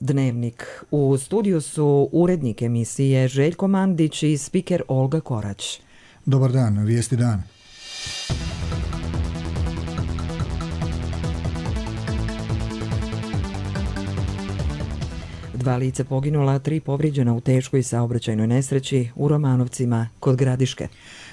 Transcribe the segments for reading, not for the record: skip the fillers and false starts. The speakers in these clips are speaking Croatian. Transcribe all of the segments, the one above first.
Dnevnik. U studiju su urednik emisije Željko Mandić i spiker Olga Korać. Dobar dan, vijesti dan. Dva lica poginula, 3 povrijeđena u teškoj saobraćajnoj nesreći u Romanovcima kod Gradiške.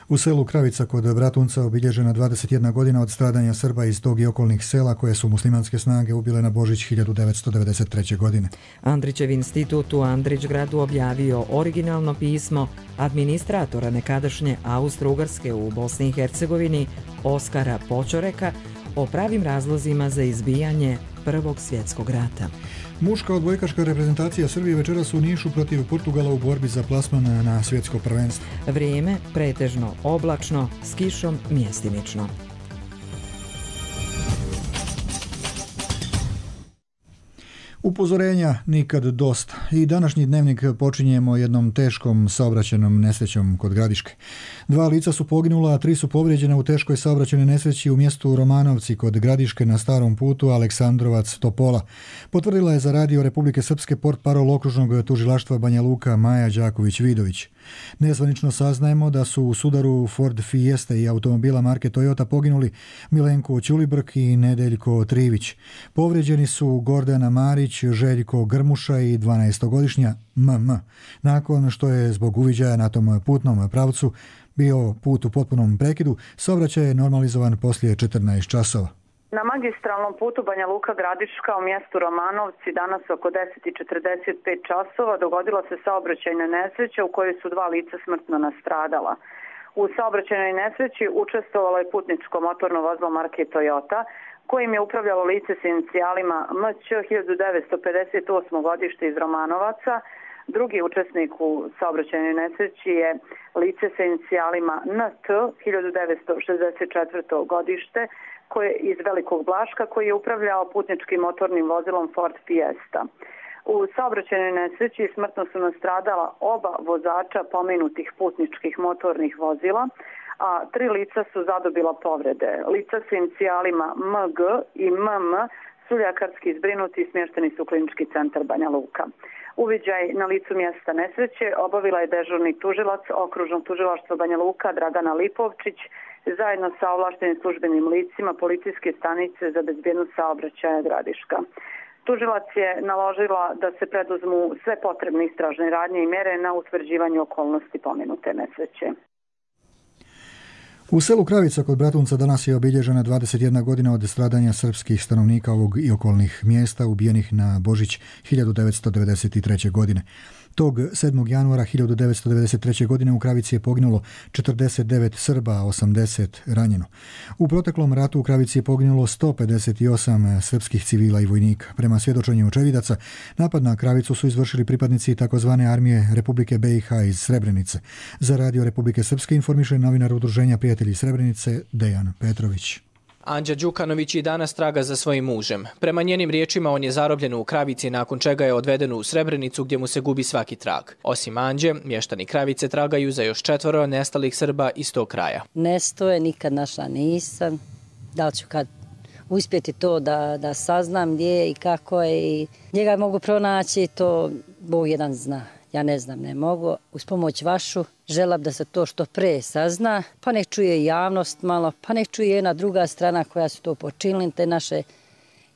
U selu Kravica kod Bratunca obilježena 21 godina od stradanja Srba iz tog i okolnih sela koje su muslimanske snage ubile na Božić 1993. godine. Andrićev institut u Andrićgradu objavio originalno pismo administratora nekadašnje Austro-Ugarske u Bosni i Hercegovini Oskara Počoreka o pravim razlozima za izbijanje Prvog svjetskog rata. Muška odbojkaška reprezentacija Srbije večeras u Nišu protiv Portugala u borbi za plasman na svjetsko prvenstvo. Vrijeme pretežno oblačno, s kišom mjestimično. Upozorenja nikad dosta. I današnji dnevnik počinjemo jednom teškom saobraćajnom nesrećom kod Gradiške. 2 lica su poginula, a 3 su povrijeđena u teškoj saobraćajnoj nesreći u mjestu Romanovci kod Gradiške na starom putu Aleksandrovac-Topola. Potvrdila je za radio Republike Srpske portparol okružnog tužilaštva Banja Luka Maja Đaković-Vidović. Nezvanično saznajemo da su u sudaru Ford Fiesta i automobila marke Toyota poginuli Milenko Ćulibrk i Nedeljko Trivić. Povrijeđeni su Gordana Marić, Željko Grmuša i 12-godišnja MM. Nakon što je zbog uviđaja na tom putnom pravcu bio put u potpunom prekidu, saobraćaj je normalizovan poslije 14 časova. Na magistralnom putu Banja Luka Gradiška u mjestu Romanovci danas oko 10:45 časova dogodila se saobraćajna nesreća u kojoj su 2 lica smrtno nastradala. U saobraćajnoj nesreći učestvovalo je putničko motorno vozilo marke Toyota kojim je upravljalo lice s inicijalima MC 1958. godište iz Romanovaca. Drugi učesnik u saobraćajnoj nesreći je lice sa inicijalima NT 1964. godište koje iz Velikog Blaška koji je upravljao putničkim motornim vozilom Ford Fiesta. U saobraćajnoj nesreći smrtno su nastradala oba vozača pomenutih putničkih motornih vozila, a 3 lica su zadobila povrede. Lica s inicijalima MG i MM su ljekarski zbrinuti i smješteni su u klinički centar Banja Luka. Uviđaj na licu mjesta nesreće obavila je dežurni tužilac okružnog tužilaštva Banja Luka Dragana Lipovčić zajedno sa ovlaštenim službenim licima policijske stanice za bezbjednost saobraćaja Gradiška. Tužilac je naložila da se preduzmu sve potrebne istražne radnje i mere na utvrđivanju okolnosti pomenute nesreće. U selu Kravica kod Bratunca danas je obilježena 21 godina od stradanja srpskih stanovnika ovog i okolnih mjesta ubijenih na Božić 1993. godine. Tog 7. januara 1993. godine u Kravici je poginulo 49 Srba, a 80 ranjeno. U proteklom ratu u Kravici je poginulo 158 srpskih civila i vojnika. Prema svjedočenju očevidaca, napad na Kravicu su izvršili pripadnici takozvane armije Republike BiH iz Srebrenice. Za radio Republike Srpske informiše novinar udruženja Prijatelji Srebrenice Dejan Petrović. Anđa Đukanović i danas traga za svojim mužem. Prema njenim riječima on je zarobljen u Kravici nakon čega je odveden u Srebrenicu gdje mu se gubi svaki trag. Osim Anđe, mještani Kravice tragaju za još 4 nestalih Srba iz tog kraja. Nestoje, nikad našla nisam. Da li ću kad uspjeti to da saznam gdje je i kako je i njega mogu pronaći, to Bog jedan zna. Ja ne znam, ne mogu. Uz pomoć vašu želim da se to što pre sazna, pa nek čuje javnost malo, pa nek čuje jedna druga strana koja su to počinili, te naše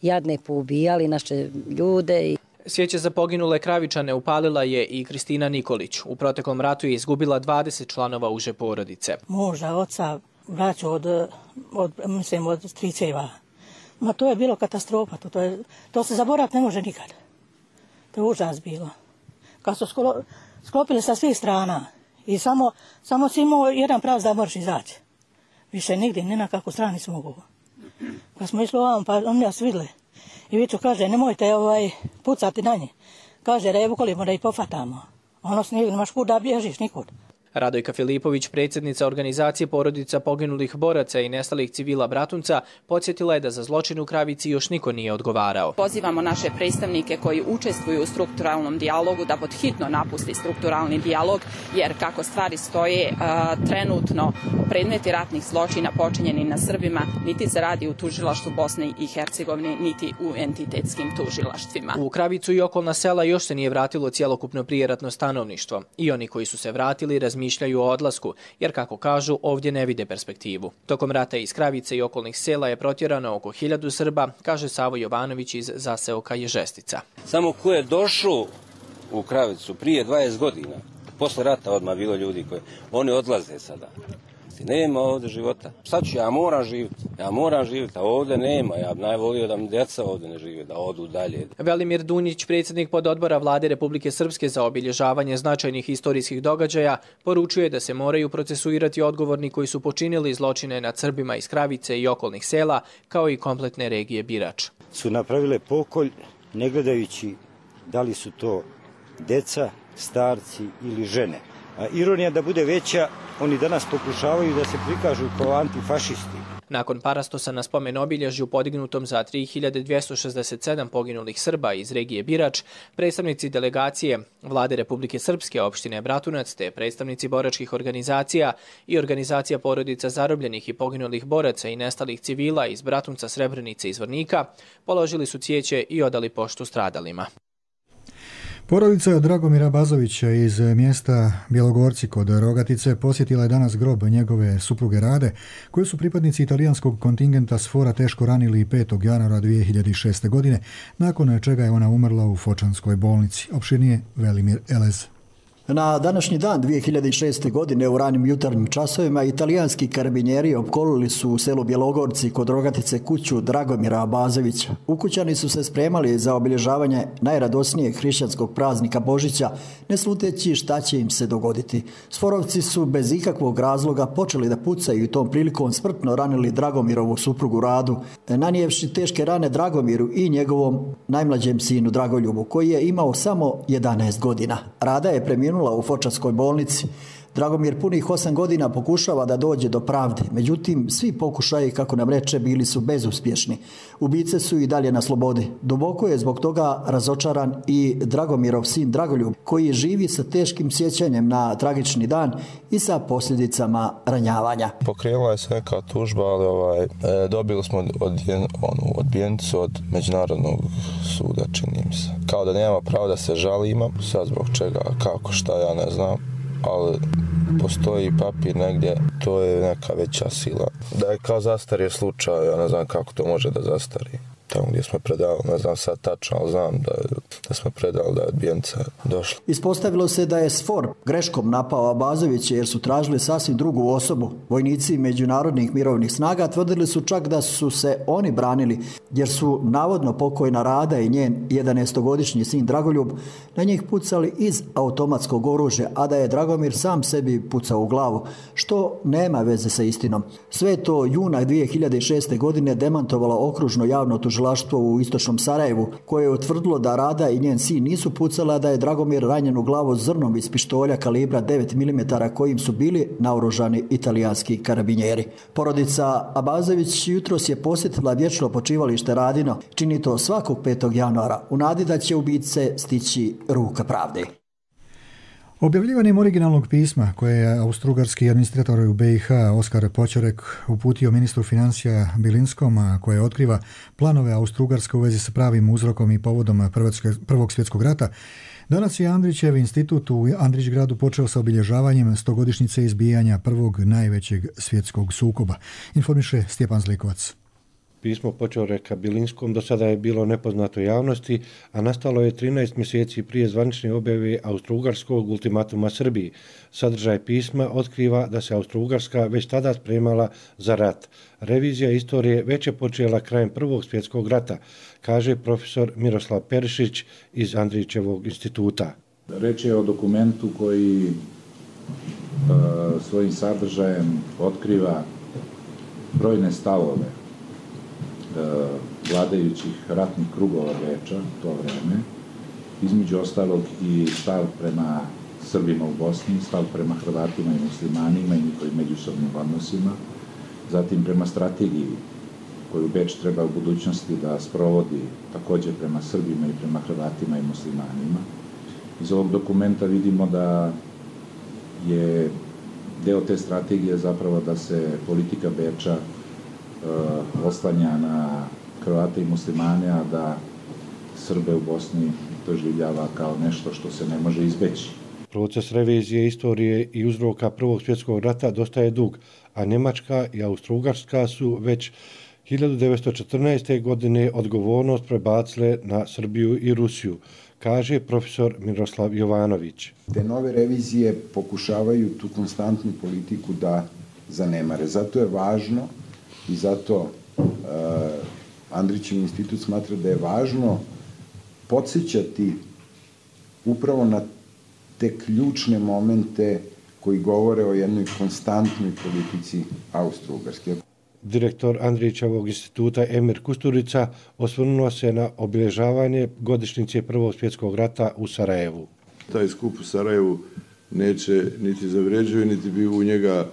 jadne poubijali, naše ljude. Svijeće za poginule Kravičane upalila je i Kristina Nikolić. U proteklom ratu je izgubila 20 članova uže porodice. Muža, oca, braću od striceva. Ma to je bilo katastrofa, to se zaboraviti ne može nikad. To je užas bilo. Kad su sklopili sa svih strana i samo si imao jedan pravac da možeš izaći. Više nigdje, ni na kakvu strani su mogu. Kad smo išli ovam, pa oni nas vidjeli. I Viču kaže, nemojte pucati na nje. Kaže, revu kolimo da ih pofatamo. Ono snijeg, nemaš kud da bježiš, nikud. Radojka Filipović, predsjednica organizacije porodica poginulih boraca i nestalih civila Bratunca, podsjetila je da za zločin u Kravici još niko nije odgovarao. Pozivamo naše predstavnike koji učestvuju u strukturalnom dijalogu da pod hitno napusti strukturalni dijalog, jer kako stvari stoje, trenutno predmeti ratnih zločina počinjeni na Srbima niti se radi u tužilaštvu Bosne i Hercegovine, niti u entitetskim tužilaštvima. U Kravicu i okolna sela još se nije vratilo cjelokupno prijeratno stanovništvo i oni koji su se vratili razmišljaju o odlasku, jer kako kažu, ovdje ne vide perspektivu. Tokom rata iz Kravice i okolnih sela je protjerano oko 1000 Srba, kaže Savo Jovanović iz zaseoka Ježestica. Samo ko je došao u Kravicu prije 20 godina, posle rata odmah bilo ljudi koji oni odlaze sada. Nema ovdje života. Sad ću, ja moram živjeti, a ovdje nema. Ja bi najvolio da mi djeca ovdje ne žive, da odu dalje. Velimir Dunjić, predsjednik pododbora Vlade Republike Srpske za obilježavanje značajnih historijskih događaja, poručuje da se moraju procesuirati odgovorni koji su počinili zločine nad Srbima iz Kravice i okolnih sela, kao i kompletne regije Birač. Su napravile pokolj, ne gledajući da li su to deca, starci ili žene. A ironija da bude veća, oni danas pokušavaju da se prikažu kao antifašisti. Nakon parastosa na spomen obilježju podignutom za 3267 poginulih Srba iz regije Birač, predstavnici delegacije Vlade Republike Srpske, opštine Bratunac, te predstavnici boračkih organizacija i organizacija porodica zarobljenih i poginulih boraca i nestalih civila iz Bratunca, Srebrenice i Zvornika položili su cvijeće i odali poštu stradalima. Porodica Dragomira Bazovića iz mjesta Bjelogorci kod Rogatice posjetila je danas grob njegove supruge Rade, koji su pripadnici italijanskog kontingenta SFOR-a teško ranili 5. januara 2006. godine, nakon čega je ona umrla u Fočanskoj bolnici. Opširnije Velimir Elez. Na današnji dan 2006. godine u ranim jutarnjim časovima italijanski karabinjeri opkolili su u selu Bjelogorci kod Rogatice kuću Dragomira Bazovića. Ukućani su se spremali za obilježavanje najradosnijeg hrišćanskog praznika Božića, ne sluteći šta će im se dogoditi. Sforovci su bez ikakvog razloga počeli da pucaju i tom prilikom smrtno ranili Dragomirovu suprugu Radu, nanijevši teške rane Dragomiru i njegovom najmlađem sinu Dragoljubu, koji je imao samo 11 godina. Rada je preminula u Fočanskoj bolnici. Dragomir punih 8 godina pokušava da dođe do pravde, međutim svi pokušaji, kako nam reče, bili su bezuspješni. Ubice su i dalje na slobodi. Duboko je zbog toga razočaran i Dragomirov sin Dragoljub, koji živi sa teškim sjećanjem na tragični dan i sa posljedicama ranjavanja. Pokrenula je se neka tužba, ali dobili smo odbijenicu od Međunarodnog suda, čini mi se. Kao da nema pravo da se žalimo, sad zbog čega, kako, šta, ja ne znam. Ali postoji papir negdje, to je neka veća sila. Da je kao zastario slučaj, ja ne znam kako to može da zastari. Tamo gdje smo predali, ne znam sad tačno, ali znam da smo predali, da je odbijenica došla. Ispostavilo se da je SFOR greškom napao Abazovića jer su tražili sasvim drugu osobu. Vojnici međunarodnih mirovnih snaga tvrdili su čak da su se oni branili jer su navodno pokojna Rada i njen 11-godišnji sin Dragoljub na njih pucali iz automatskog oružja, a da je Dragomir sam sebi pucao u glavu, što nema veze sa istinom. Sve to juna 2006. godine demantovalo okružno javno tužilaštvo u istočnom Sarajevu, koje je utvrdilo da Rada i njen sin nisu pucala, da je Dragomir ranjen u glavu zrnom iz pištolja kalibra 9 mm kojim su bili naoružani italijanski karabinjeri. Porodica Abazović jutros je posjetila vječno počivalište Radino. Čini to svakog 5. januara u nadi da će ubice stići ruka pravde. Objavljivanjem originalnog pisma koje je austrougarski administrator u BiH Oskar Počorek uputio ministru financija Bilinskom, a koje otkriva planove Austrougarske u vezi sa pravim uzrokom i povodom Prvog svjetskog rata, danas je Andrićev institut u Andrićgradu počeo sa obilježavanjem 100-godišnjice izbijanja prvog najvećeg svjetskog sukoba, informiše Stjepan Zlikovac. Pismo Počoreka Bilinskom do sada je bilo nepoznato javnosti, a nastalo je 13 mjeseci prije zvanične objave austrougarskog ultimatuma Srbiji. Sadržaj pisma otkriva da se Austrougarska već tada spremala za rat. Revizija istorije već je počela krajem Prvog svjetskog rata, kaže profesor Miroslav Perišić iz Andrićevog instituta. Reč je o dokumentu koji svojim sadržajem otkriva brojne stavove vladajućih ratnih krugova Beča to vreme, između ostalog i stav prema Srbima u Bosni, stav prema Hrvatima i muslimanima i njihovim međusobnim odnosima, zatim prema strategiji koju Beč treba u budućnosti da sprovodi također prema Srbima i prema Hrvatima i muslimanima. Iz ovog dokumenta vidimo da je deo te strategije zapravo da se politika Beča oslanja na Hrvate i muslimane, a da Srbe u Bosni doživljava kao nešto što se ne može izbeći. Proces revizije istorije i uzroka Prvog svjetskog rata dosta je dug, a Njemačka i Austro-Ugarska su već 1914. godine odgovornost prebacile na Srbiju i Rusiju, kaže profesor Miroslav Jovanović. Te nove revizije pokušavaju tu konstantnu politiku da zanemare. Zato je važno i zato Andrićev institut smatra da je važno podsjećati upravo na te ključne momente koji govore o jednoj konstantnoj politici Austro-Ugarske. Direktor Andrićevog instituta Emir Kusturica osvrnuo se na obilježavanje godišnjice Prvog svjetskog rata u Sarajevu. Taj skup u Sarajevu neće niti zavređuje, niti bi u njega,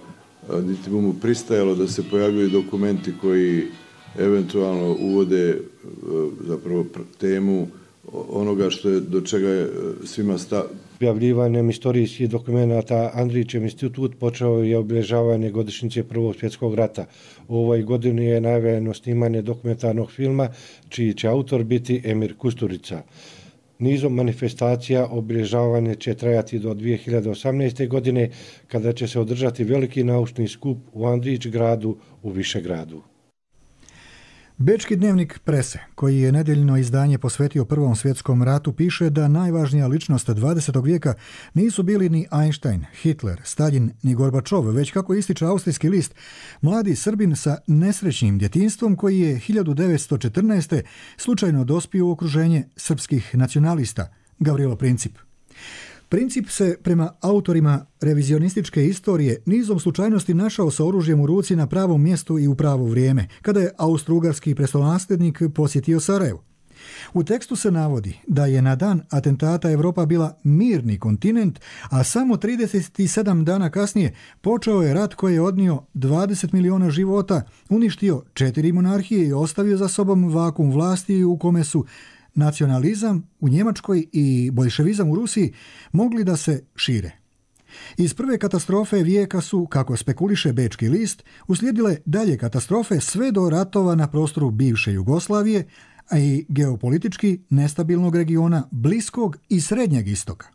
niti bi mu pristajalo da se pojavljuju dokumenti koji eventualno uvode zapravo temu onoga što je, do čega je svima Objavljivanjem istorijskih dokumenta Andrićev institut počeo je obilježavanje godišnjice Prvog svjetskog rata. U ovoj godini je najavljeno snimanje dokumentarnog filma, čiji će autor biti Emir Kusturica. Nizom manifestacija obilježavanje će trajati do 2018. godine, kada će se održati veliki naučni skup u Andrić gradu u Višegradu. Bečki dnevnik Prese, koji je nedeljno izdanje posvetio Prvom svjetskom ratu, piše da najvažnija ličnost 20. vijeka nisu bili ni Einstein, Hitler, Stalin ni Gorbačov, već, kako ističe austrijski list, mladi Srbin sa nesrećnim djetinjstvom koji je 1914. slučajno dospio u okruženje srpskih nacionalista, Gavrilo Princip. Princip se, prema autorima revizionističke istorije, nizom slučajnosti našao sa oružjem u ruci na pravom mjestu i u pravo vrijeme, kada je austro-ugarski prestolonaslednik posjetio Sarajevo. U tekstu se navodi da je na dan atentata Evropa bila mirni kontinent, a samo 37 dana kasnije počeo je rat koji je odnio 20 miliona života, uništio 4 monarhije i ostavio za sobom vakuum vlasti u kome su nacionalizam u Njemačkoj i boljševizam u Rusiji mogli da se šire. Iz prve katastrofe vijeka su, kako spekuliše Bečki list, uslijedile dalje katastrofe sve do ratova na prostoru bivše Jugoslavije, a i geopolitički nestabilnog regiona Bliskog i Srednjeg istoka.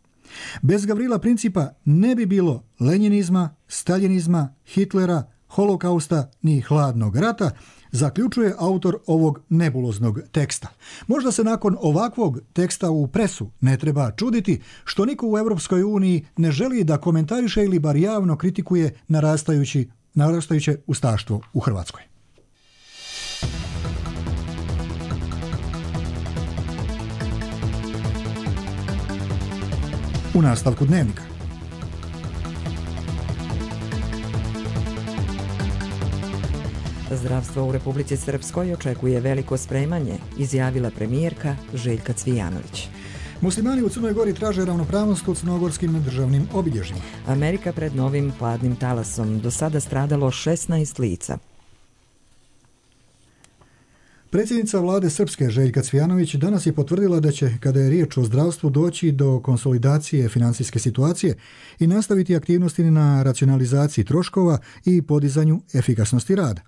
Bez Gavrila Principa ne bi bilo lenjinizma, staljinizma, Hitlera, holokausta ni hladnog rata, zaključuje autor ovog nebuloznog teksta. Možda se nakon ovakvog teksta u Presu ne treba čuditi što niko u Europskoj uniji ne želi da komentariše ili bar javno kritikuje narastajuće ustaštvo u Hrvatskoj. U nastavku dnevnika. Zdravstvo u Republici Srpskoj očekuje veliko spremanje, izjavila premijerka Željka Cvijanović. Muslimani u Crnoj Gori traže ravnopravnost u crnogorskim državnim obilježjima. Amerika pred novim hladnim talasom, do sada stradalo 16 lica. Predsjednica vlade Srpske Željka Cvijanović danas je potvrdila da će, kada je riječ o zdravstvu, doći do konsolidacije financijske situacije i nastaviti aktivnosti na racionalizaciji troškova i podizanju efikasnosti rada.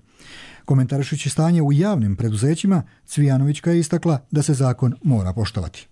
Komentarišući stanje u javnim preduzećima, Cvijanovićka je istakla da se zakon mora poštovati.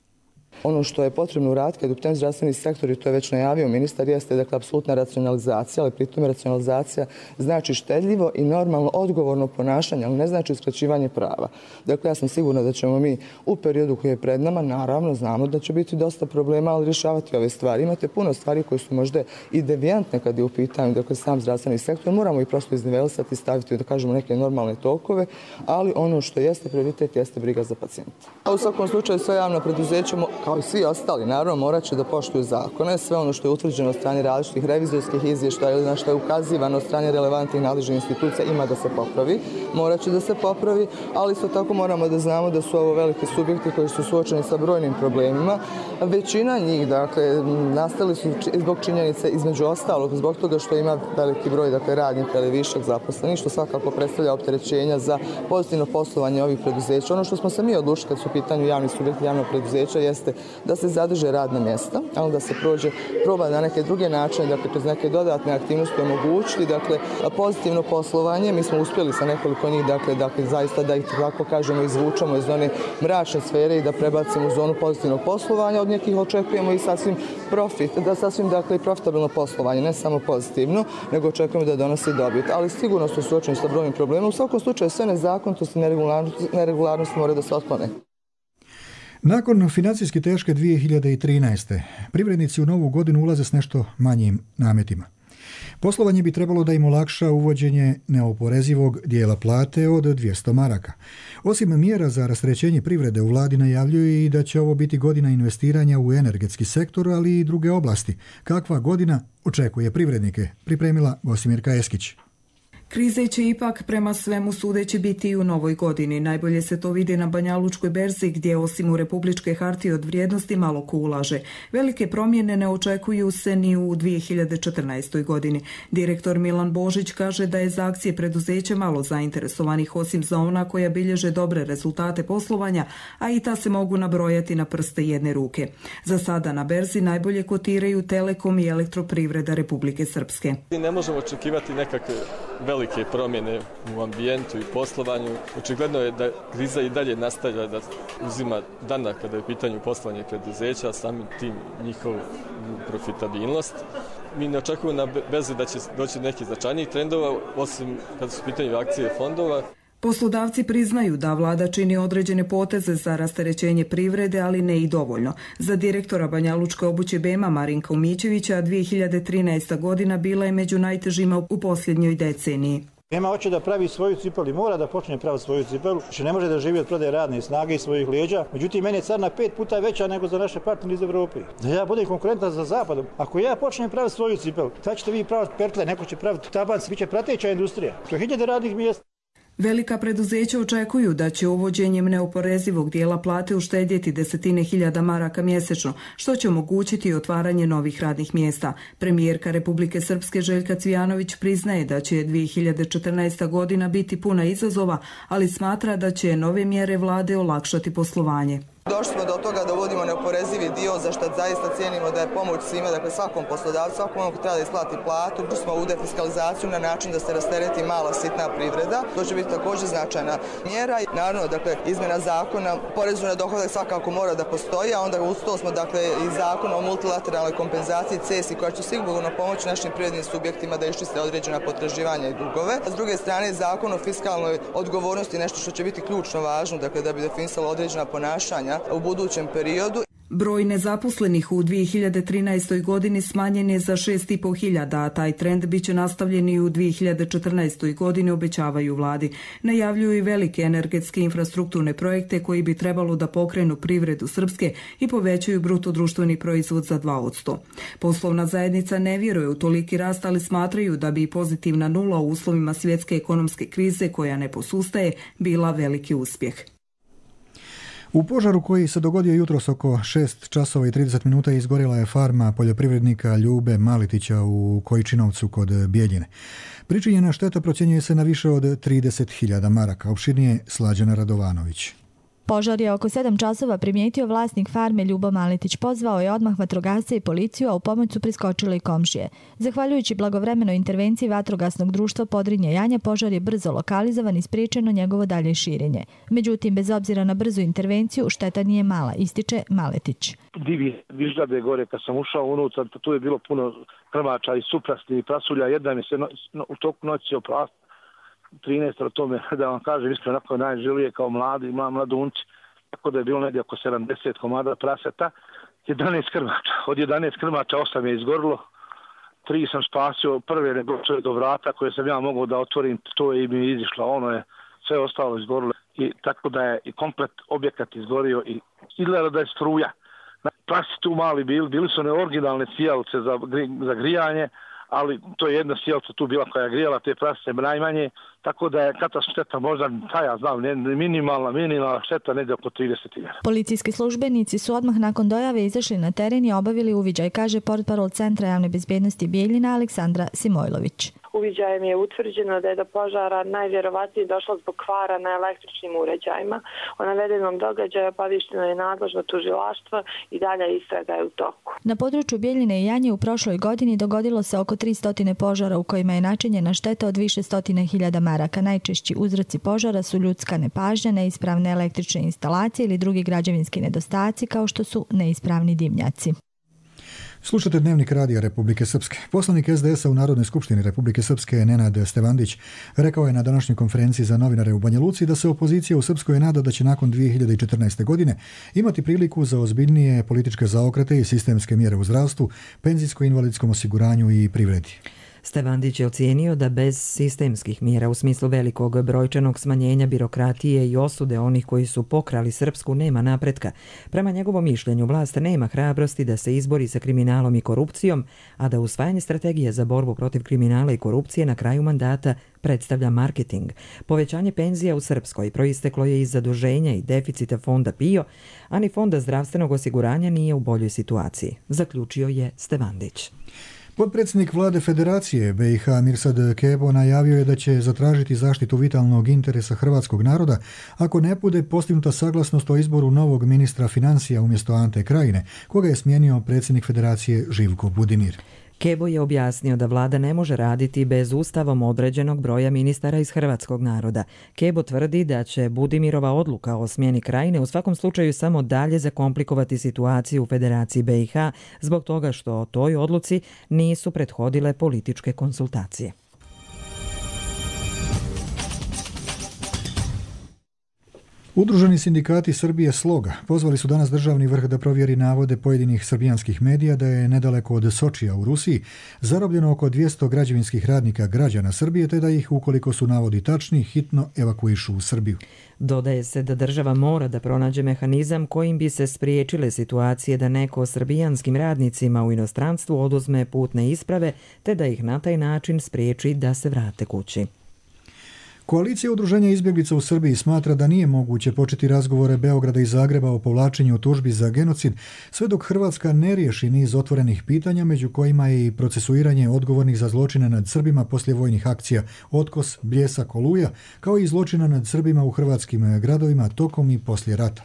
Ono što je potrebno uraditi kad u pitanju zdravstveni sektor, i to je već najavio ministar, jeste dakle apsolutna racionalizacija, ali pritom racionalizacija znači štedljivo i normalno odgovorno ponašanje, ali ne znači uskraćivanje prava. Dakle, ja sam sigurna da ćemo mi u periodu koji je pred nama, naravno znamo da će biti dosta problema, ali rješavati ove stvari. Imate puno stvari koje su možda i devijantne kad je u pitanju dakle, sam zdravstveni sektor, moramo ih prosto iznivelisati i staviti, da kažemo, neke normalne tokove, ali ono što jeste prioritet jeste briga za pacijenta. U svakom slučaju sve javno preduzeće kao kao i svi ostali, naravno morat će da poštuju zakone, sve ono što je utvrđeno od strane različitih revizorskih izvještaja ili na što je ukazivano od strane relevantnih nadležnih institucija ima da se popravi, morat će da se popravi, ali isto tako moramo da znamo da su ovo veliki subjekti koji su suočeni sa brojnim problemima. Većina njih, dakle, nastali su zbog činjenice između ostalog, zbog toga što ima veliki broj, dakle, radnika ili višak zaposlenih, što svakako predstavlja opterećenja za pozitivno poslovanje ovih preduzeća. Ono što smo se mi odlučili kad su u pitanju javni subjekti javnog preduzeća jeste da se zadrže radna mjesta, ali da se proba na neke druge načine, dakle, kroz neke dodatne aktivnosti omogućiti, dakle, pozitivno poslovanje. Mi smo uspjeli sa nekoliko njih, dakle, zaista da ih tako kažemo izvučemo iz one mračne sfere i da prebacimo u zonu pozitivnog poslovanja. Od nekih očekujemo i sasvim dakle, profitabilno poslovanje, ne samo pozitivno, nego očekujemo da donosi dobit. Ali sigurno su suočeni sa brojnim problemima. U svakom slučaju sve nezakonitosti i neregularnosti moraju da se otklone. Nakon financijski teške 2013. privrednici u novu godinu ulaze s nešto manjim nametima. Poslovanje bi trebalo da im olakša uvođenje neoporezivog dijela plate od 200 maraka. Osim mjera za rasterećenje privrede, u vladi najavljuju i da će ovo biti godina investiranja u energetski sektor, ali i druge oblasti. Kakva godina očekuje privrednike? Pripremila Gosimirka Eskić. Krize će ipak prema svemu sudeći biti i u novoj godini. Najbolje se to vidi na Banjalučkoj berzi gdje osim u republičke hartije od vrijednosti malo ko ulaže. Velike promjene ne očekuju se ni u 2014. godini. Direktor Milan Božić kaže da je za akcije preduzeća malo zainteresovanih osim za ona koja bilježe dobre rezultate poslovanja, a i ta se mogu nabrojati na prste jedne ruke. Za sada na berzi najbolje kotiraju Telekom i Elektroprivreda Republike Srpske. Ne možemo očekivati nekakve velike promjene u ambijentu i poslovanju. Očigledno je da kriza i dalje nastavlja da uzima dana kada je u pitanju poslovanje preduzeća, a samim tim njihovu profitabilnost. Mi ne očekujemo na berzi da će doći neki značajnijih trendova, osim kada su u pitanju akcije fondova. Poslodavci priznaju da vlada čini određene poteze za rasterećenje privrede, ali ne i dovoljno. Za direktora Banjalučke obuće BEMA Marinka Umićevića 2013. godina bila je među najtežima u posljednjoj deceniji. BEMA hoće da pravi svoju cipelu, mora da počne praviti svoju cipelu, što ne može da živi od prodaje radne snage i svojih leđa. Međutim, meni je carina 5 puta veća nego za naše partnere iz Evrope. Da ja budem konkurentan za zapadom. Ako ja počnem praviti svoju cipelu, tad ćete vi praviti pertle, neko će praviti tabanci, bit će prateća industrija. To je 1000 radnih mjesta. Velika preduzeća očekuju da će uvođenjem neoporezivog dijela plate uštedjeti desetine hiljada maraka mjesečno, što će omogućiti otvaranje novih radnih mjesta. Premijerka Republike Srpske Željka Cvijanović priznaje da će 2014. godina biti puna izazova, ali smatra da će nove mjere vlade olakšati poslovanje. Došli smo do toga da uvodimo neoporezivi dio za što zaista cijenimo da je pomoć svima, dakle svakom poslodavcu, svakom onom ko treba da isplati platu. Došli smo u defiskalizaciju na način da se rastereti mala sitna privreda. To će biti također značajna mjera. Naravno, dakle, izmjena zakona, porezu na dohodak svakako mora da postoji, a onda uz to smo, dakle, i zakon o multilateralnoj kompenzaciji CESI koja će sigurno pomoći našim privrednim subjektima da iščiste određena potraživanja i dugove. A s druge strane, zakon o fiskalnoj odgovornosti nešto što će biti ključno važno, dakle, da bi definisalo određena ponašanja u budućem periodu. Broj nezaposlenih u 2013. godini smanjen je za 6.500, a taj trend bit će nastavljen i u 2014. godini, obećavaju vladi. Najavljuju i velike energetske infrastrukturne projekte koji bi trebalo da pokrenu privredu Srpske i povećaju bruto društveni proizvod za 2%. Poslovna zajednica ne vjeruje u toliki rast, ali smatraju da bi pozitivna nula u uslovima svjetske ekonomske krize koja ne posustaje bila veliki uspjeh. U požaru koji se dogodio jutros oko 6 časova i 30 minuta izgorjela je farma poljoprivrednika Ljube Malitića u Kojičinovcu kod Bijeljine. Pričinjena šteta procjenjuje se na više od 30.000 maraka. Opširnije Slađana Radovanović. Požar je oko 7 časova primijetio vlasnik farme Ljubo Malitić. Pozvao je odmah vatrogasce i policiju, a u pomoć su priskočile i komšije. Zahvaljujući blagovremenoj intervenciji vatrogasnog društva Podrinje Janja, požar je brzo lokalizovan i spriječeno njegovo dalje širenje. Međutim, bez obzira na brzu intervenciju, šteta nije mala, ističe Maletić. Divi viždade gore, kad sam ušao unutra, tu je bilo puno krmača i suprasti i prasulja. Jedna mi se u toku noći oprasti. 13 o tome, da vam kažem, iskreno onako najželije kao mladunci, tako da je bilo negdje oko 70 komada praseta, 11 krmača. Od 11 krmača 8 je izgorilo, 3 sam spasio, prve nego do vrata koje sam ja mogao da otvorim, to je mi izišlo, ono je sve ostalo izgorilo. I tako da je i komplet objekat izgorio i izgleda da je struja. prasi tu mali bili su one originalne sijalice za grijanje, ali to je jedna sijalica tu bila koja je grijala te prasice najmanje, tako da je katastrofa šteta možda, ja znam, minimalna šteta negdje oko 30.000. Policijski službenici su odmah nakon dojave izašli na teren i obavili uviđaj, kaže portparol Centra javne bezbednosti Bijeljina Aleksandra Simojlović. Uviđajem je utvrđeno da je do požara najvjerovatnije došlo zbog kvara na električnim uređajima. O navedenom događaju obaviješteno je nadležno tužilaštvo i dalje istraga je u toku. Na području Bijeljine i Janje u prošloj godini dogodilo se oko 300 požara u kojima je načinjena šteta od više stotina hiljada maraka. Najčešći uzroci požara su ljudska nepažnja, neispravne električne instalacije ili drugi građevinski nedostaci kao što su neispravni dimnjaci. Slušate Dnevnik Radija Republike Srpske. Poslanik SDS-a u Narodnoj skupštini Republike Srpske Nenad Stevandić rekao je na današnjoj konferenciji za novinare u Banja Luci da se opozicija u Srpskoj nada da će nakon 2014. godine imati priliku za ozbiljnije političke zaokrete i sistemske mjere u zdravstvu, penzijsko-invalidskom osiguranju i privredi. Stevandić je ocijenio da bez sistemskih mjera u smislu velikog brojčanog smanjenja birokratije i osude onih koji su pokrali Srpsku nema napretka. Prema njegovom mišljenju vlast nema hrabrosti da se izbori sa kriminalom i korupcijom, a da usvajanje strategije za borbu protiv kriminala i korupcije na kraju mandata predstavlja marketing. Povećanje penzija u Srpskoj proisteklo je iz zaduženja i deficita fonda PIO, a ni fonda zdravstvenog osiguranja nije u boljoj situaciji, zaključio je Stevandić. Potpredsjednik vlade Federacije BiH Mirsad Kebo najavio je da će zatražiti zaštitu vitalnog interesa hrvatskog naroda ako ne bude postignuta saglasnost o izboru novog ministra financija umjesto Ante Krajine, koga je smijenio predsjednik Federacije Živko Budimir. Kebo je objasnio da vlada ne može raditi bez ustavom određenog broja ministara iz hrvatskog naroda. Kebo tvrdi da će Budimirova odluka o smjeni Krajine u svakom slučaju samo dalje zakomplikovati situaciju u Federaciji BiH zbog toga što toj odluci nisu prethodile političke konsultacije. Udruženi sindikati Srbije Sloga pozvali su danas državni vrh da provjeri navode pojedinih srbijanskih medija da je nedaleko od Sočija u Rusiji zarobljeno oko 200 građevinskih radnika građana Srbije, te da ih, ukoliko su navodi tačni, hitno evakuišu u Srbiju. Dodaje se da država mora da pronađe mehanizam kojim bi se spriječile situacije da neko srbijanskim radnicima u inostranstvu oduzme putne isprave, te da ih na taj način spriječi da se vrate kući. Koalicija udruženja izbjeglica u Srbiji smatra da nije moguće početi razgovore Beograda i Zagreba o povlačenju tužbi za genocid sve dok Hrvatska ne riješi niz otvorenih pitanja, među kojima je i procesuiranje odgovornih za zločine nad Srbima poslije vojnih akcija Otkos, Bljesak, Oluja, kao i zločina nad Srbima u hrvatskim gradovima tokom i poslije rata.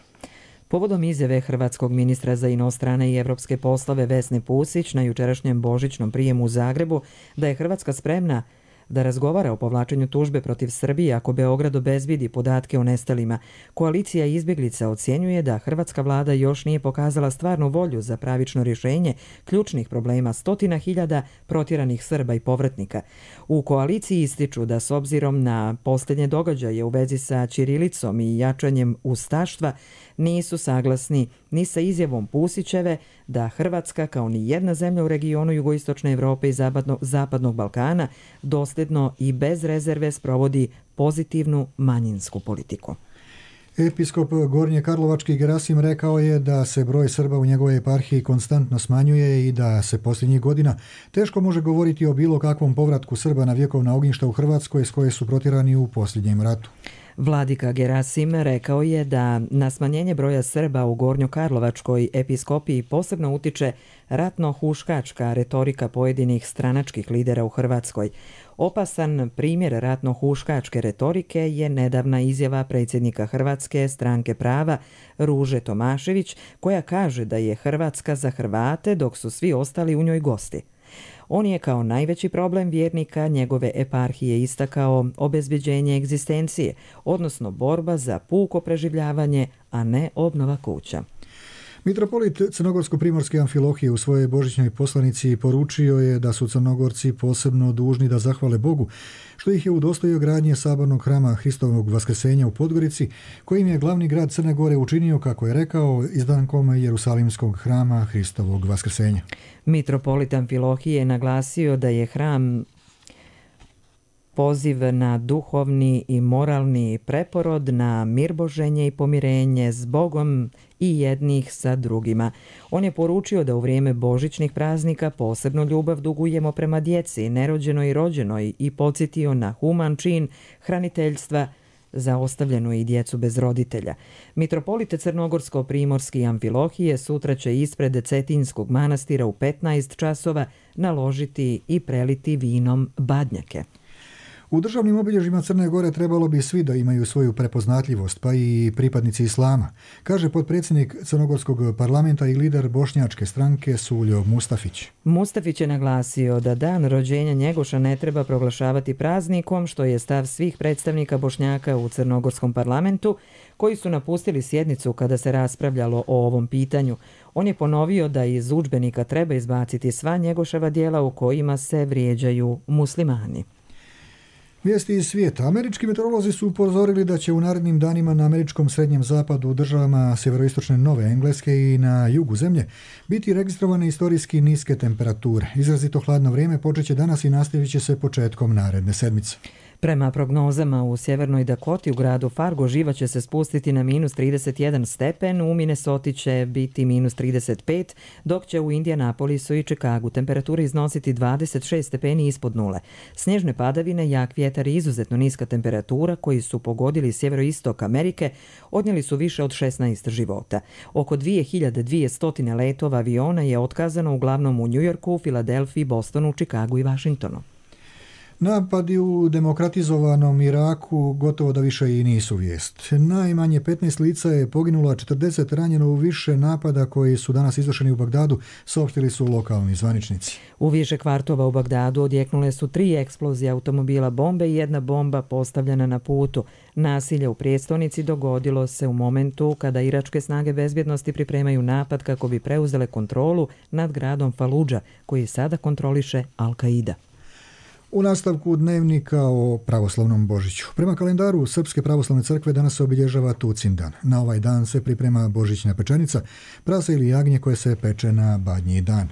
Povodom izjave hrvatskog ministra za inostrane i evropske poslove Vesne Pusić na jučerašnjem božićnom prijemu u Zagrebu da je Hrvatska spremna da razgovara o povlačenju tužbe protiv Srbije ako Beograd obezbedi podatke o nestalima, koalicija izbjeglica ocjenjuje da hrvatska vlada još nije pokazala stvarnu volju za pravično rješenje ključnih problema stotina hiljada protjeranih Srba i povratnika. U koaliciji ističu da s obzirom na posljednje događaje u vezi sa ćirilicom i jačanjem ustaštva nisu saglasni ni sa izjavom Pusićeve da Hrvatska kao ni jedna zemlja u regionu jugoistočne Evrope i zapadnog Balkana dosljedno i bez rezerve sprovodi pozitivnu manjinsku politiku. Episkop Gornje Karlovački Gerasim rekao je da se broj Srba u njegovoj eparhiji konstantno smanjuje i da se posljednjih godina teško može govoriti o bilo kakvom povratku Srba na vjekovna ognjišta u Hrvatskoj s koje su protjerani u posljednjem ratu. Vladika Gerasim rekao je da na smanjenje broja Srba u Gornjokarlovačkoj episkopiji posebno utiče ratno-huškačka retorika pojedinih stranačkih lidera u Hrvatskoj. Opasan primjer ratno-huškačke retorike je nedavna izjava predsjednika Hrvatske stranke prava Ruže Tomašević, koja kaže da je Hrvatska za Hrvate dok su svi ostali u njoj gosti. On je kao najveći problem vjernika njegove eparhije istakao obezbeđenje egzistencije, odnosno borba za puko preživljavanje, a ne obnova kuća. Mitropolit Crnogorsko-primorske Amfilohije u svojoj božićnoj poslanici poručio je da su Crnogorci posebno dužni da zahvale Bogu što ih je udostojio gradnje sabornog hrama Hristovog Vaskrsenja u Podgorici, kojim je glavni grad Crne Gore učinio, kako je rekao, izdankom Jerusalimskog hrama Hristovog Vaskrsenja. Mitropolit Amfilohije je naglasio da je hram poziv na duhovni i moralni preporod, na mirboženje i pomirenje s Bogom i jednih sa drugima. On je poručio da u vrijeme božićnih praznika posebno ljubav dugujemo prema djeci, nerođenoj i rođenoj, i podsjetio na human čin hraniteljstva za ostavljenu i djecu bez roditelja. Mitropolite Crnogorsko-primorski Amfilohije sutra će ispred Cetinskog manastira u 15 časova naložiti i preliti vinom badnjake. U državnim obilježjima Crne Gore trebalo bi svi da imaju svoju prepoznatljivost, pa i pripadnici islama, kaže potpredsjednik Crnogorskog parlamenta i lider bošnjačke stranke Suljo Mustafić. Mustafić je naglasio da dan rođenja Njegoša ne treba proglašavati praznikom, što je stav svih predstavnika Bošnjaka u Crnogorskom parlamentu, koji su napustili sjednicu kada se raspravljalo o ovom pitanju. On je ponovio da iz udžbenika treba izbaciti sva Njegoševa djela u kojima se vrijeđaju muslimani. Vijesti iz svijeta. Američki meteorolozi su upozorili da će u narednim danima na američkom srednjem zapadu, u državama sjeveroistočne Nove Engleske i na jugu zemlje biti registrovane istorijski niske temperature. Izrazito hladno vrijeme počeće danas i nastavit će se početkom naredne sedmice. Prema prognozama u sjevernoj Dakoti u gradu Fargo živa će se spustiti na minus 31 stepen, u Minnesoti će biti minus 35, dok će u Indianapolisu i Čikagu temperatura iznositi 26 stepeni ispod nule. Snježne padavine, jak vjetar i izuzetno niska temperatura koji su pogodili sjeveroistok Amerike odnijeli su više od 16 života. Oko 2200 letova aviona je otkazano uglavnom u Njujorku, Filadelfiji, Bostonu, Čikagu i Vašingtonu. Napadi u demokratizovanom Iraku gotovo da više i nisu vijest. Najmanje 15 lica je poginulo, a 40 ranjeno u više napada koji su danas izvršeni u Bagdadu, saopštili su lokalni zvaničnici. U više kvartova u Bagdadu odjeknule su 3 eksplozije automobila bombe i 1 bomba postavljena na putu. Nasilje u prijestolnici dogodilo se u momentu kada iračke snage bezbjednosti pripremaju napad kako bi preuzele kontrolu nad gradom Faludža, koji sada kontroliše Al-Qaida. U nastavku dnevnika o pravoslavnom Božiću. Prema kalendaru Srpske pravoslavne crkve danas se obilježava Tucin dan. Na ovaj dan se priprema božićna pečenica, prase ili jagnje koje se peče na Badnji dan.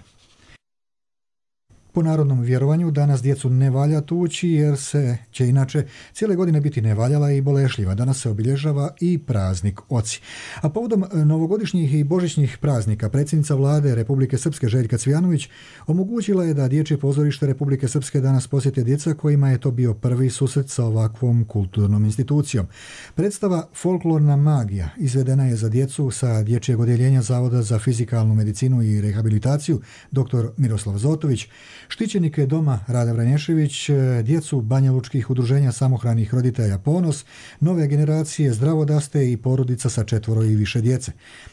Po narodnom vjerovanju danas djecu ne valja tući jer se će inače cijele godine biti nevaljala i bolešljiva. Danas se obilježava i praznik Oci. A povodom novogodišnjih i božićnih praznika predsjednica vlade Republike Srpske Željka Cvijanović omogućila je da Dječje pozorište Republike Srpske danas posjete djeca kojima je to bio prvi susret sa ovakvom kulturnom institucijom. Predstava Folklorna magija izvedena je za djecu sa Dječjeg odjeljenja Zavoda za fizikalnu medicinu i rehabilitaciju dr. Miroslav Zotović, štićenike doma Rada Vranješević, djecu banjalučkih udruženja samohranih roditelja Ponos, nove generacije Zdravodaste i porodica sa 4 i više djece.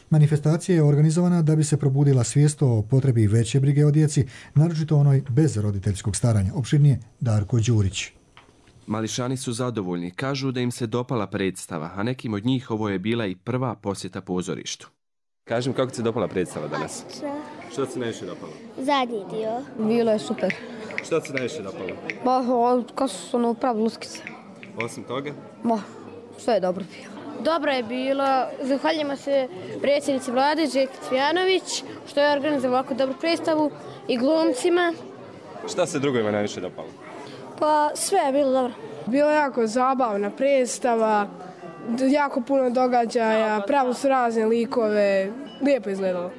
Manifestacija je organizovana da bi se probudila svijest o potrebi veće brige o djeci, naročito onoj bez roditeljskog staranja. Opširnije Darko Đurić. Mališani su zadovoljni, kažu da im se dopala predstava, a nekim od njih ovo je bila i prva posjeta pozorištu. Kažem, kako ti se dopala predstava danas? Što ti se najviše dopalo? Zadnji dio. Bilo je super. Što ti se najviše dopalo? Kako su ono pravi luskice. Osim toga? Sve je dobro bilo. Dobro je bilo. Zahvaljujemo se predsjednici vlade Željki Cvijanović što je organizovao ovako dobru predstavu i glumcima. Šta se drugojima najviše dopalo? Pa sve je bilo dobro. Bilo je jako zabavna predstava, jako puno događaja, pravo su razne likove, lijepo izgledalo.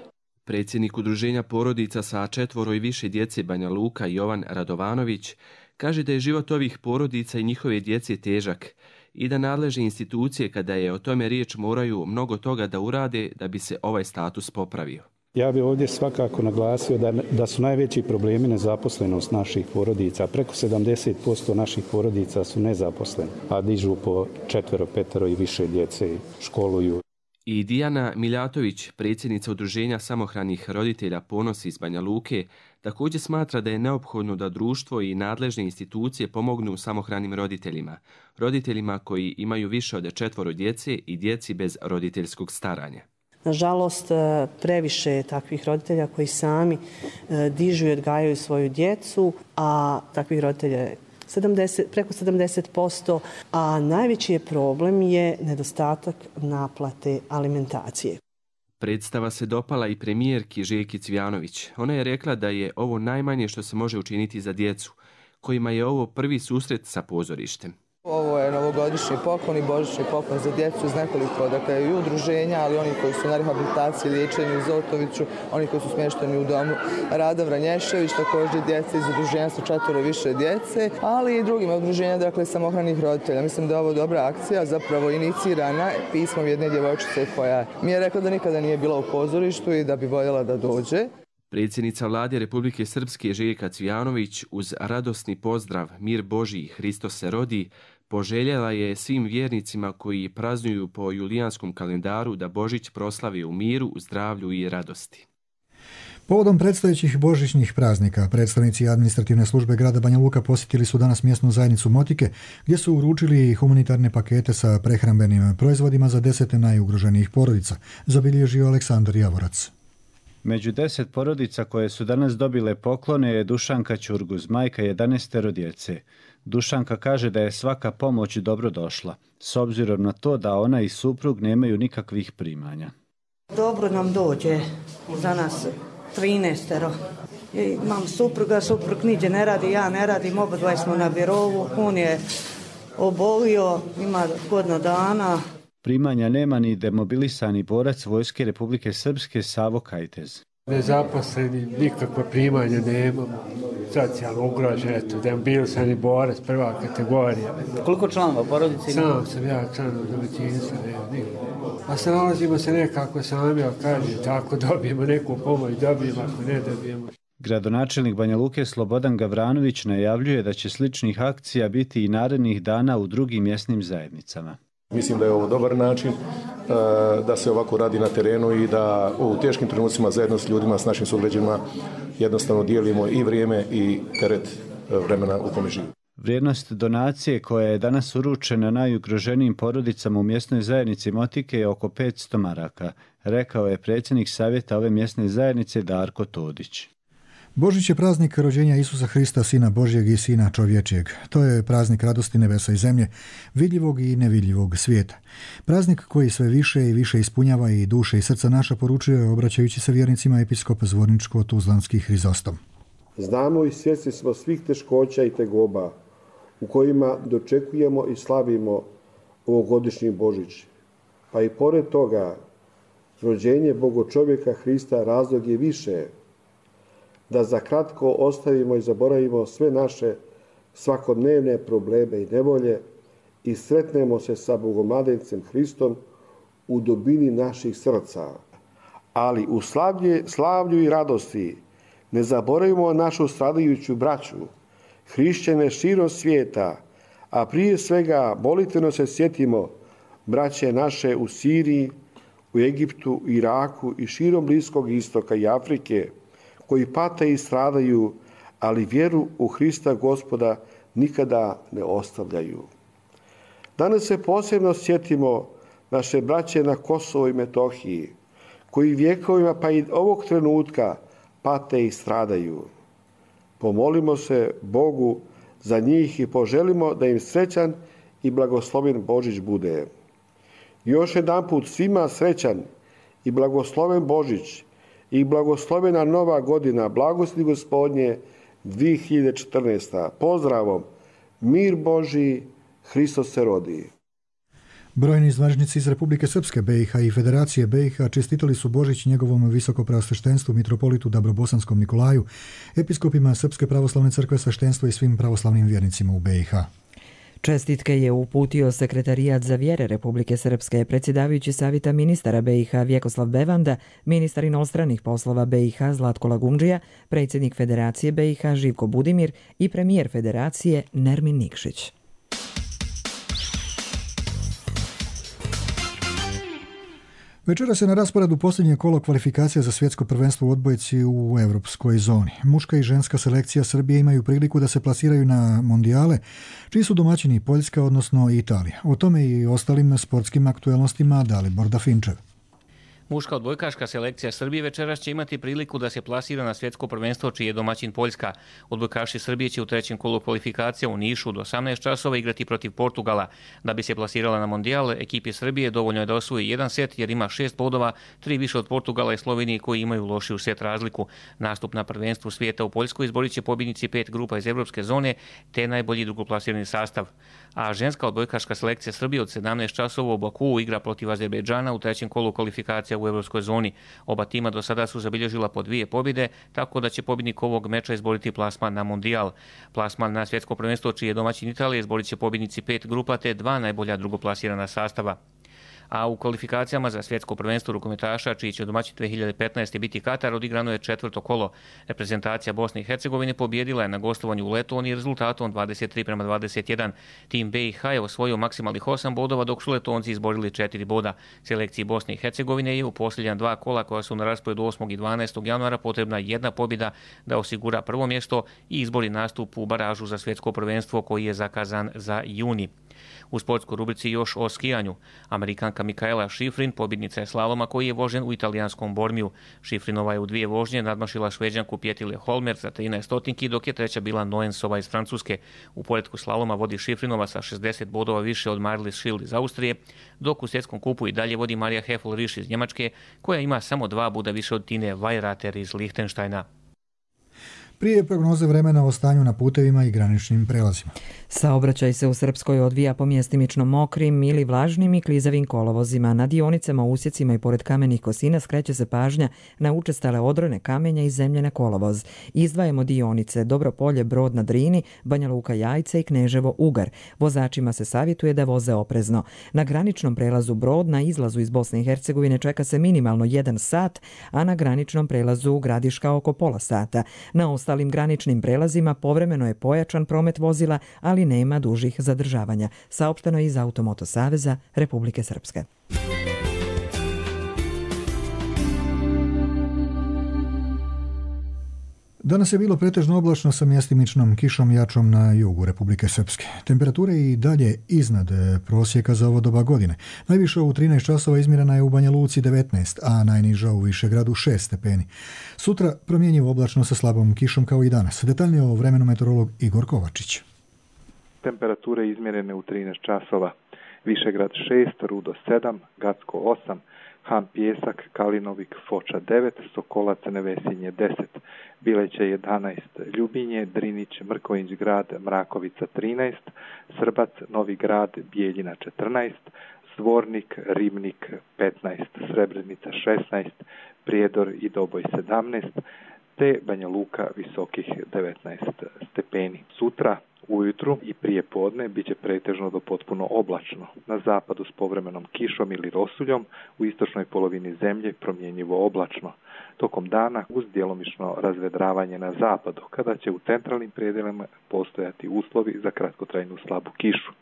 Predsjednik udruženja porodica sa 4 i više djece Banja Luka Jovan Radovanović kaže da je život ovih porodica i njihove djece težak i da nadležne institucije kada je o tome riječ moraju mnogo toga da urade da bi se ovaj status popravio. Ja bih ovdje svakako naglasio da su najveći problemi nezaposlenost naših porodica. Preko 70% naših porodica su nezaposleni, a dižu po 4, 5 i više djece, školuju. I Dijana Miljatović, predsjednica udruženja samohranih roditelja Ponos iz Banja Luke, također smatra da je neophodno da društvo i nadležne institucije pomognu samohranim roditeljima, roditeljima koji imaju više od 4 djece i djeci bez roditeljskog staranja. Nažalost, previše je takvih roditelja koji sami dižu i odgajaju svoju djecu, a takvih roditelja je preko 70%, a najveći je problem je nedostatak naplate alimentacije. Predstava se dopala i premijerki Željki Cvijanović. Ona je rekla da je ovo najmanje što se može učiniti za djecu, kojima je ovo prvi susret sa pozorištem. Ovo je novogodišnji poklon i božićni poklon za djecu iz nekoliko i udruženja, ali oni koji su na rehabilitaciji, liječenju u Zotoviću, oni koji su smješteni u domu Rada Vranješević, također djece iz udruženja sa 4 više djece, ali i drugim udruženja, dakle samohranih roditelja. Mislim da je ovo dobra akcija, zapravo inicirana pismom jedne djevojčice koja mi je rekla da nikada nije bila u pozorištu i da bi voljela da dođe. Predsjednica Vlade Republike Srpske Željka Cvijanović uz radosni pozdrav Mir Božji, Hristos se rodi, poželjela je svim vjernicima koji praznuju po julijanskom kalendaru da Božić proslavi u miru, zdravlju i radosti. Povodom predstojećih božićnih praznika, predstavnici administrativne službe grada Banja Luka posjetili su danas mjesnu zajednicu Motike, gdje su uručili humanitarne pakete sa prehrambenim proizvodima za 10 najugroženijih porodica, zabilježio Aleksandar Javorac. Među 10 porodica koje su danas dobile poklone je Dušanka Ćurguz, majka 11 djece. Dušanka kaže da je svaka pomoć dobro došla, s obzirom na to da ona i suprug nemaju nikakvih primanja. Dobro nam dođe za nas 13. Imam supruga, suprug niđe ne radi, ja ne radim, obadva smo na birovu, on je obolio, ima godinu dana. Primanja nema ni demobilisani borac Vojske Republike Srpske Savo Kajtez. Nezaposleni, nikakva primanja nemamo, socijalno ugrožen, demobilisani borac, prva kategorija. Koliko članova porodice ima? Sam sam ja članov domaćinstva, a se nalazimo se nekako sami, ali kaže, tako dobijemo neku pomoć, dobijemo, ako ne dobijemo. Gradonačelnik Banja Luke Slobodan Gavranović najavljuje da će sličnih akcija biti i narednih dana u drugim mjesnim zajednicama. Mislim da je ovo dobar način da se ovako radi na terenu i da u teškim trenucima zajedno s ljudima, s našim sugrađanima jednostavno dijelimo i vrijeme i teret vremena u kome živimo. Vrijednost donacije koja je danas uručena najugroženijim porodicama u mjesnoj zajednici Motike je oko 500 maraka, rekao je predsjednik savjeta ove mjesne zajednice Darko Todić. Božić je praznik rođenja Isusa Hrista, Sina Božjeg i Sina čovječijeg. To je praznik radosti nebesa i zemlje, vidljivog i nevidljivog svijeta. Praznik koji sve više i više ispunjava i duše i srca naša, poručuje obraćajući se vjernicima episkop Zvorničko-Tuzlanski Hrizostom. Znamo i svjesni smo svih teškoća i tegoba u kojima dočekujemo i slavimo ovogodišnji Božić. Pa i pored toga, rođenje Bogočovjeka Hrista razlog je više da za kratko ostavimo i zaboravimo sve naše svakodnevne probleme i nevolje i sretnemo se sa Bogomladencem Hristom u dubini naših srca. Ali u slavlju i radosti ne zaboravimo našu stradajuću braću, hrišćane širom svijeta, a prije svega molitveno se sjetimo braće naše u Siriji, u Egiptu, Iraku i širom Bliskog istoka i Afrike, koji pate i stradaju, ali vjeru u Hrista Gospoda nikada ne ostavljaju. Danas se posebno sjetimo naše braće na Kosovo i Metohiji, koji vjekovima pa i ovog trenutka pate i stradaju. Pomolimo se Bogu za njih i poželimo da im srećan i blagosloven Božić bude. Još jedanput svima srećan i blagosloven Božić i blagoslovena nova godina, blagosti Gospodnje 2014. Pozdravom, mir Božji, Hristos se rodi. Brojni zvaničnici iz Republike Srpske, BiH i Federacije BiH čestitali su Božić njegovom visokopreosveštenstvu mitropolitu Dabrobosanskom Nikolaju, episkopima Srpske pravoslavne crkve, sveštenstvo i svim pravoslavnim vjernicima u BiH. Čestitke je uputio Sekretarijat za vjere Republike Srpske, predsjedavajući savjeta ministara BiH Vjekoslav Bevanda, ministar inostranih poslova BiH Zlatko Lagundžija, predsjednik Federacije BiH Živko Budimir i premijer Federacije Nermin Nikšić. Večera se na rasporedu posljednje kolo kvalifikacija za svjetsko prvenstvo u odbojci u europskoj zoni. Muška i ženska selekcija Srbije imaju priliku da se plasiraju na mondijale, čiji su domaćini Poljska, odnosno Italija. O tome i ostalim sportskim aktuelnostima Dalibor Dafinčev. Muška odbojkaška selekcija Srbije večeras će imati priliku da se plasira na svjetsko prvenstvo čiji je domaćin Poljska. Odbojkaši Srbije će u trećem kolu kvalifikacija u Nišu do 18 časova igrati protiv Portugala. Da bi se plasirala na mondijal, ekipi Srbije dovoljno je da osvoji jedan set jer ima 6 bodova, 3 više od Portugala i Slovenije koji imaju lošiju set razliku. Nastup na prvenstvu svijeta u Poljskoj izborit će pobjednici 5 grupa iz evropske zone te najbolji drugoplasirani sastav. A ženska odbojkaška selekcija Srbije od 17 časova u Bakuu igra protiv Azerbejdžana u trećem kolu kvalifikacija u evropskoj zoni. Oba tima do sada su zabilježila po 2 pobjede, tako da će pobjednik ovog meča izboriti plasman na mondijal. Plasman na svjetsko prvenstvo čiji je domaćin Italije izborit će pobjednici 5 grupa te 2 najbolja drugoplasirana sastava. A u kvalifikacijama za svjetsko prvenstvo rukometaša, čiji će domaćin 2015. biti Katar, odigrano je 4. kolo. Reprezentacija Bosne i Hercegovine pobjedila je na gostovanju u Letoniji rezultatom 23-21. Tim BiH je osvojio maksimalnih 8 bodova, dok su Letonci izborili 4 boda. Selekciji Bosne i Hercegovine je u posljednja 2 kola koja su na rasporedu 8. i 12. januara potrebna jedna pobjeda da osigura prvo mjesto i izbori nastup u baražu za svjetsko prvenstvo koji je zakazan za juni. U sportskoj rubrici još o skijanju. Amerikanka Mikaela Šifrin pobjednica je slaloma koji je vožen u italijanskom Bormiju. Šifrinova je u 2 vožnje nadmašila Šveđanku Pjetile Holmer za 13 stotinki, dok je treća bila Noensova iz Francuske. U poretku slaloma vodi Šifrinova sa 60 bodova više od Marlies Schild iz Austrije, dok u svjetskom kupu i dalje vodi Marija Heffel-Risch iz Njemačke, koja ima samo 2 boda više od Tine Weirater iz Lihtenštajna. Prije prognoze vremena o stanju na putevima i graničnim prelazima. Saobraćaj se u Srpskoj odvija po mjestimično mokrim ili vlažnim i klizavim kolovozima. Na dionicama, usjecima i pored kamenih kosina skreće se pažnja na učestale odrone kamenja i zemljene kolovoz. Izdvajamo dionice Dobropolje, Brod na Drini, Banja Luka Jajce i Kneževo Ugar. Vozačima se savjetuje da voze oprezno. Na graničnom prelazu Brod na izlazu iz Bosne i Hercegovine čeka se minimalno 1 sat, a na graničnom prelazu Gradiška oko pola sata. Na ostalim graničnim prelazima povremeno je pojačan promet vozila, ali nema dužih zadržavanja. Saopšteno je iz Automoto Saveza Republike Srpske. Danas je bilo pretežno oblačno sa mjestimičnom kišom jačom na jugu Republike Srpske. Temperature i dalje iznad prosjeka za ovo doba godine. Najviša u 13 časova izmjerena je u Banja Luci 19, a najniža u Višegradu 6 stepeni. Sutra promjenjivo oblačno sa slabom kišom kao i danas. Detaljnije o vremenu meteorolog Igor Kovačić. Temperature izmjerene u 13 časova. Višegrad 6, Rudo 7, Gacko 8, Han Pjesak, Kalinovik, Foča 9, Sokolac, Nevesinje 10, Bileće 11, Ljubinje, Drinić, Mrkovinć grad, Mrakovica 13, Srbac, Novi grad, Bijeljina 14, Zvornik, Ribnik 15, Srebrenica 16, Prijedor i Doboj 17, te Banja Luka visokih 19 stepeni. Sutra ujutru i prije podne bit će pretežno do potpuno oblačno. Na zapadu s povremenom kišom ili rosuljom, u istočnoj polovini zemlje promjenjivo oblačno. Tokom dana uz djelomično razvedravanje na zapadu, kada će u centralnim predjelima postojati uslovi za kratkotrajnu slabu kišu.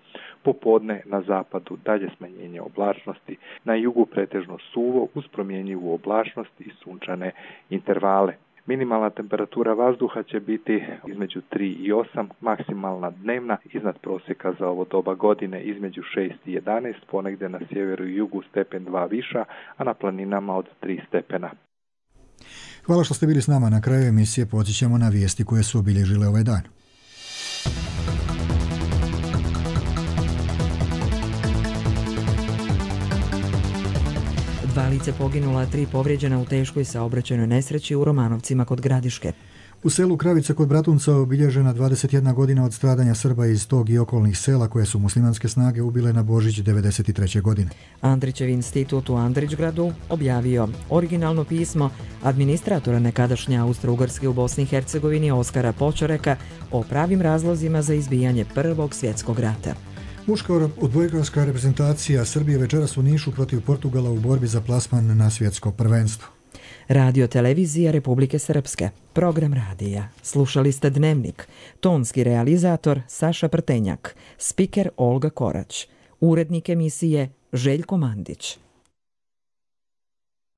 Popodne na zapadu dalje smanjenje oblačnosti, na jugu pretežno suvo uz promjenjivu oblačnost i sunčane intervale. Minimalna temperatura vazduha će biti između 3 i 8, maksimalna dnevna iznad prosjeka za ovo doba godine između 6 i 11, ponegdje na sjeveru i jugu stepen 2 viša, a na planinama od 3 stepena. Hvala što ste bili s nama. Na kraju emisije podsjećamo na vijesti koje su obilježile ovaj dan. Dva lice poginula, 3 povrijeđena u teškoj saobraćajnoj nesreći u Romanovcima kod Gradiške. U selu Kravice kod Bratunca obilježena 21 godina od stradanja Srba iz tog i okolnih sela koje su muslimanske snage ubile na Božić 1993. godine. Andrićev institut u Andrićgradu objavio originalno pismo administratora nekadašnje Austro-Ugarske u Bosni i Hercegovini Oskara Počoreka o pravim razlozima za izbijanje Prvog svjetskog rata. Muška odbojkaška reprezentacija Srbije večeras u Nišu protiv Portugala u borbi za plasman na svjetsko prvenstvo. Radio televizija Republike Srpske. Program radija. Slušali ste Dnevnik. Tonski realizator Saša Prtenjak. Spiker Olga Korać. Urednik emisije Željko Mandić.